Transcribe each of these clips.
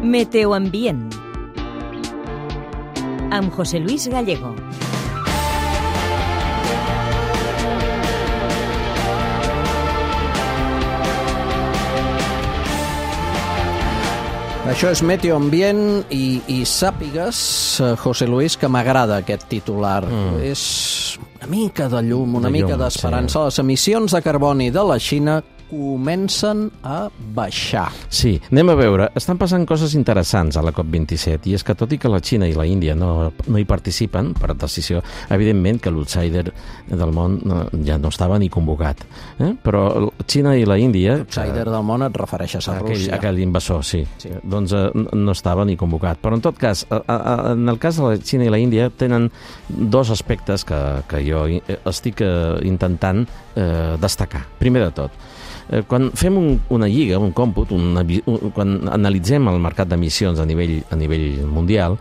Meteoambient amb José Luis Gallego. Això és Meteoambient i sàpigues, José Luis, que m'agrada aquest titular. És una mica de llum, una mica d'esperança. Sí. Les emissions de carboni de la Xina comencen a baixar. Sí, anem a veure. Estan passant coses interessants a la COP27, i és que tot i que la Xina i la Índia no hi participen per decisió, evidentment que l'outsider del món ja no estava ni convocat. Però Xina i la Índia... L'outsider del món et refereixes a Rússia. Aquell invasor, sí. Doncs no estava ni convocat. Però en tot cas, en el cas de la Xina i la Índia tenen dos aspectes que jo estic intentant destacar. Primer de tot, quan fem una lliga, un còmput, quan analitzem el mercat d'emissions a nivell mundial,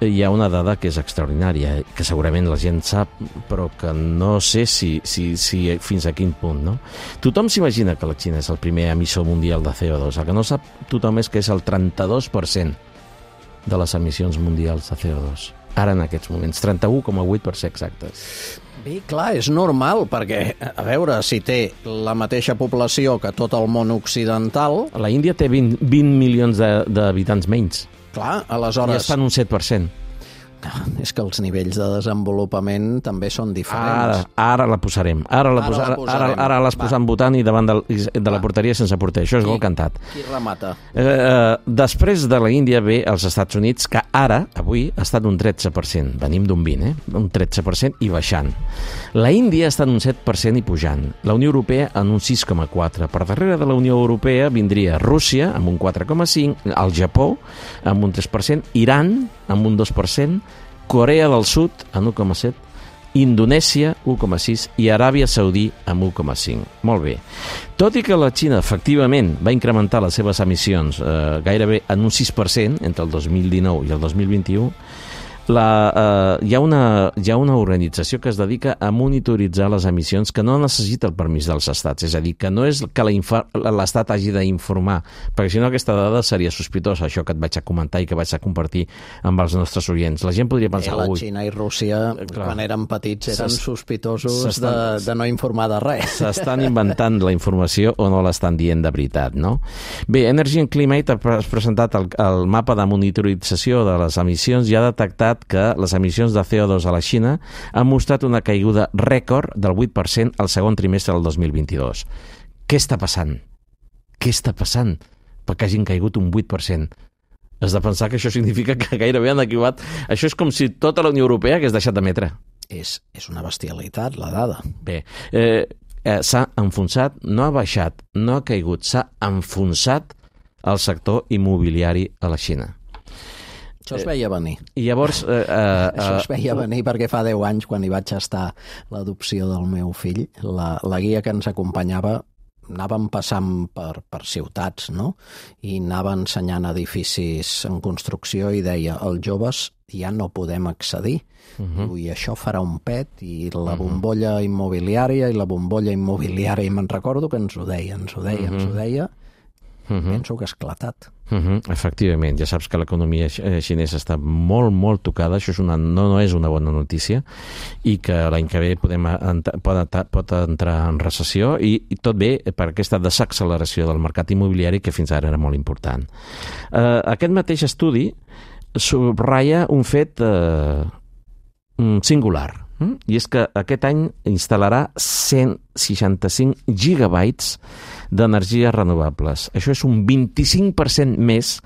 hi ha una dada que és extraordinària, que segurament la gent sap, però que no sé si fins a quin punt, no? Tothom s'imagina que la Xina és el primer emissor mundial de CO2. El que no sap tothom és que és el 32% de les emissions mundials de CO2. Ara en aquests moments, 31,8 per ser exactes. Bé, clar, és normal, perquè, a veure, si té la mateixa població que tot el món occidental... La Índia té 20 milions d'habitants menys. Clar, aleshores... I estan un 7%. És que els nivells de desenvolupament també són diferents. Ara la posarem. Ara les posam votant i davant de la porteria sense porter. Això és gol cantat. Qui remata? Després de la Índia ve els Estats Units, que ara, avui, ha estat un 13%. Venim d'un 20%, un 13% i baixant. La Índia està en un 7% i pujant. La Unió Europea en un 6,4%. Per darrere de la Unió Europea vindria Rússia amb un 4,5%, el Japó amb un 3%, Iran amb un 2%, Corea del Sud en 1,7%, Indonèsia 1,6% i Aràbia Saudí amb 1,5%. Molt bé. Tot i que la Xina efectivament va incrementar les seves emissions gairebé en un 6% entre el 2019 i el 2021, hi ha una organització que es dedica a monitoritzar les emissions, que no necessita el permís dels estats. És a dir, que no és que l'estat hagi d'informar, perquè si no aquesta dada seria sospitosa, això que et vaig a comentar i que vaig a compartir amb els nostres oients. La gent podria pensar... La Xina i Rússia, quan eren petits, eren sospitosos de no informar de res. S'estan inventant la informació o no l'estan dient de veritat, no? Bé, Energy and Climate ha presentat el mapa de monitorització de les emissions i ha detectat que les emissions de CO2 a la Xina han mostrat una caiguda rècord del 8% al segon trimestre del 2022. Què està passant? Què està passant perquè hagin caigut un 8%? Has de pensar que això significa que gairebé han acabat. Això és com si tota la Unió Europea hagués deixat d'emetre. És una bestialitat, la dada. Bé, s'ha enfonsat, no ha baixat, no ha caigut, s'ha enfonsat el sector immobiliari a la Xina. Això es veia venir. I llavors... Això es veia venir perquè fa 10 anys, quan hi vaig estar l'adopció del meu fill, la guia que ens acompanyava, anàvem passant per ciutats, no? I anava ensenyant edificis en construcció i deia, els joves ja no podem accedir. I això farà un pet, i la bombolla immobiliària, i me'n recordo que ens ho deia. Penso que ha esclatat. Efectivament, ja saps que l'economia xinesa està molt, molt tocada. Això no és una bona notícia, i que l'any que ve pot entrar en recessió, i tot bé per aquesta desacceleració del mercat immobiliari que fins ara era molt important. Aquest mateix estudi subratlla un fet singular, i és que aquest any instal·larà 165 gigabytes d'energies renovables. Això és un 25% més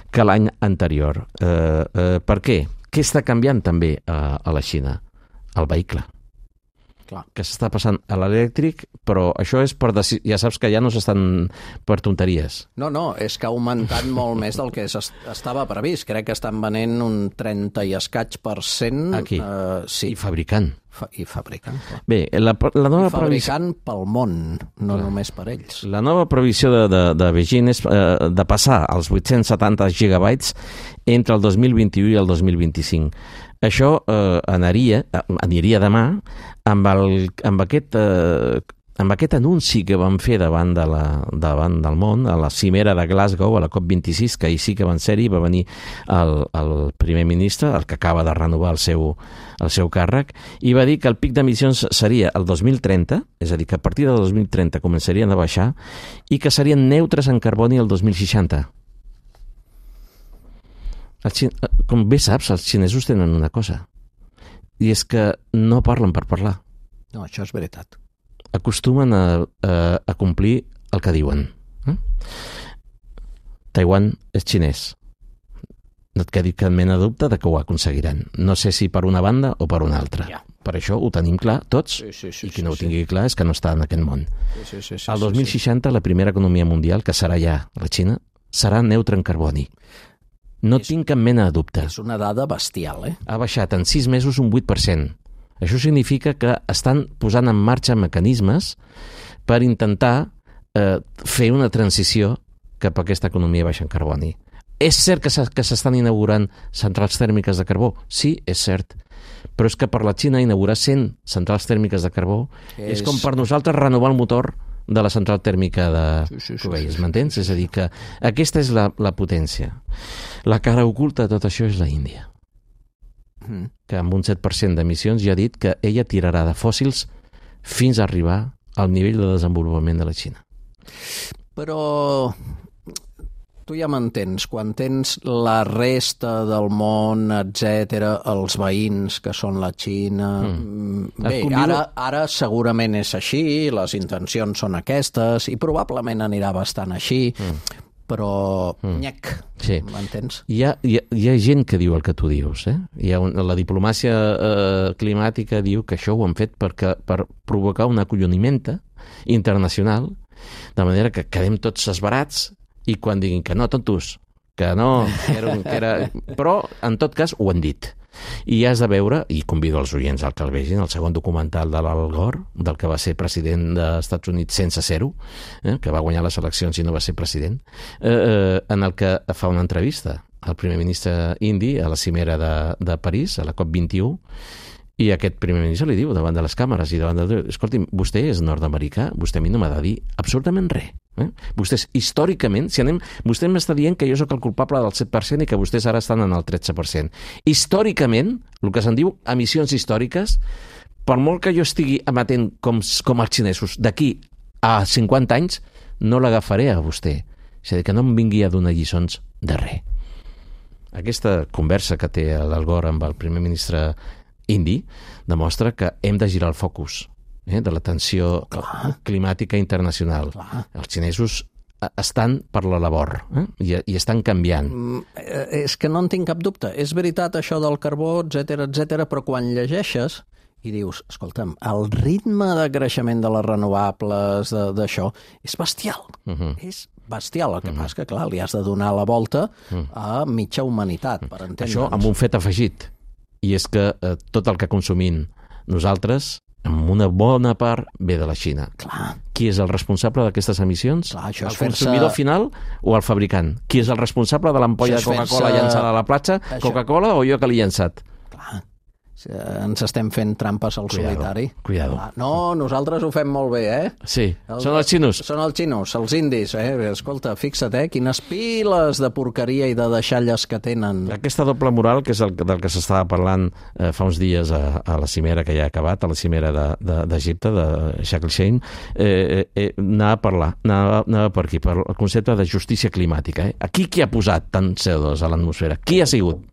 que l'any anterior. Per què? Què està canviant també a la Xina? El vehicle. Clar. Que s'està passant a l'elèctric, però això és per ja saps que ja no s'estan per tonteries. No, és que ha augmentat molt més del que estava previst. Crec que estan venent un 30 i escaig %. Aquí. Sí. I fabricant. I fabricant. Clar. Bé, la nova fabricant pel món, no només per ells. La nova previsió de Beijing és de passar als 870 gigabytes entre el 2021 i el 2025. Això aniria demà amb aquest amb aquest anunci que van fer davant del món, a la cimera de Glasgow, a la COP26, que ahir sí que van ser-hi, va venir el primer ministre, el que acaba de renovar el seu càrrec, i va dir que el pic d'emissions seria el 2030, és a dir, que a partir del 2030 començarien a baixar i que serien neutres en carboni el 2060. Com bé saps, els xinesos tenen una cosa, i és que no parlen per parlar. No, això és veritat. Acostumen a complir el que diuen. Taiwan és xinès. No et quedi cap mena de dubte de que ho aconseguiran. No sé si per una banda o per una altra. Ja. Per això ho tenim clar tots, i qui no ho tingui clar és que no està en aquest món. El 2060, la primera economia mundial, que serà ja la Xina, serà neutra en carboni. No tinc cap mena de dubte. És una dada bestial, Ha baixat en 6 mesos un 8%. Això significa que estan posant en marxa mecanismes per intentar fer una transició cap a aquesta economia baixa en carboni. És cert que s'estan inaugurant centrals tèrmiques de carbó? Sí, és cert. Però és que per la Xina inaugurar 100 centrals tèrmiques de carbó és com per nosaltres renovar el motor de la central tèrmica de Cubells, m'entens? És a dir, que aquesta és la potència. La cara oculta de tot això és la Índia, que amb un 7% d'emissions ja ha dit que ella tirarà de fòssils fins a arribar al nivell de desenvolupament de la Xina. Però tu ja m'entens, quan tens la resta del món, etc., els veïns que són la Xina... Bé, ara segurament és així, les intencions són aquestes, i probablement anirà bastant així, però nyec, sí. M'entens? Hi ha gent que diu el que tu dius. La diplomàcia climàtica diu que això ho han fet per provocar un acolloniment internacional, de manera que quedem tots esbarats i quan diguin que no, tontos, que no, que era... Però, en tot cas, ho han dit. I has de veure, i convido els oients al que el vegin, el segon documental de l'Al Gore, del que va ser president dels Estats Units sense ser-ho, que va guanyar les eleccions i no va ser president, en el que fa una entrevista al primer ministre indi a la cimera de París, a la COP21, i aquest primer ministre li diu davant de les càmeres i davant de... Escolti'm, vostè és nord-americà, vostè a mi no m'ha de dir absolutament res. Vostès, històricament, vostè m'està dient que jo sóc el culpable del 7% i que vostès ara estan en el 13%. Històricament, el que se'n diu emissions històriques, per molt que jo estigui emetent com els xinesos, d'aquí a 50 anys, no l'agafaré a vostè. És a dir, que no em vingui a donar lliçons de res. Aquesta conversa que té l'Al Gore amb el primer ministre indi demostra que hem de girar el focus de la tensió climàtica internacional. Els xinesos estan per la labor i estan canviant. És que no en tinc cap dubte. És veritat això del carbó, etc, però quan llegeixes i dius, escolta'm, el ritme de creixement de les renovables, d'això, és bestial. És bestial. El que passa que, clar, li has de donar la volta a mitja humanitat, per entendre'ns. Això amb un fet afegit. I és que tot el que consumim nosaltres, amb una bona part, ve de la Xina. Clar. Qui és el responsable d'aquestes emissions? Clar, el consumidor final o el fabricant? Qui és el responsable de l'ampolla de Coca-Cola llançada a la platja? Coca-Cola o jo que l'he llançat? Clar. Ens estem fent trampes al solitari. Cuidado. No, nosaltres ho fem molt bé, Sí, són els xinos. Són els xinos, els indis, Escolta, fixa't, quines piles de porqueria i de deixalles que tenen. Aquesta doble moral, que és del que s'estava parlant fa uns dies a la cimera que ja ha acabat, a la cimera d'Egipte, de Sharm el-Sheikh, anava a parlar, anava per aquí, per el concepte de justícia climàtica. Aquí qui ha posat tant CO2 a l'atmosfera? Qui ha sigut?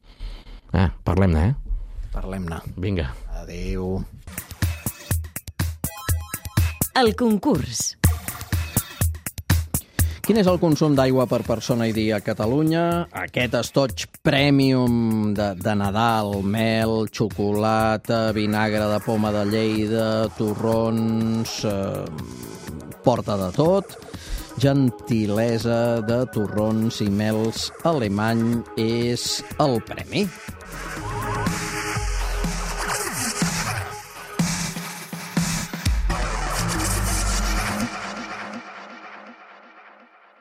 Parlem-ne, Parlem-ne. Vinga. Adéu. El concurs. Quin és el consum d'aigua per persona i dia a Catalunya? Aquest estoig premium de Nadal, mel, xocolata, vinagre de poma de Lleida, torrons, porta de tot, gentilesa de torrons i mels alemany és el premi.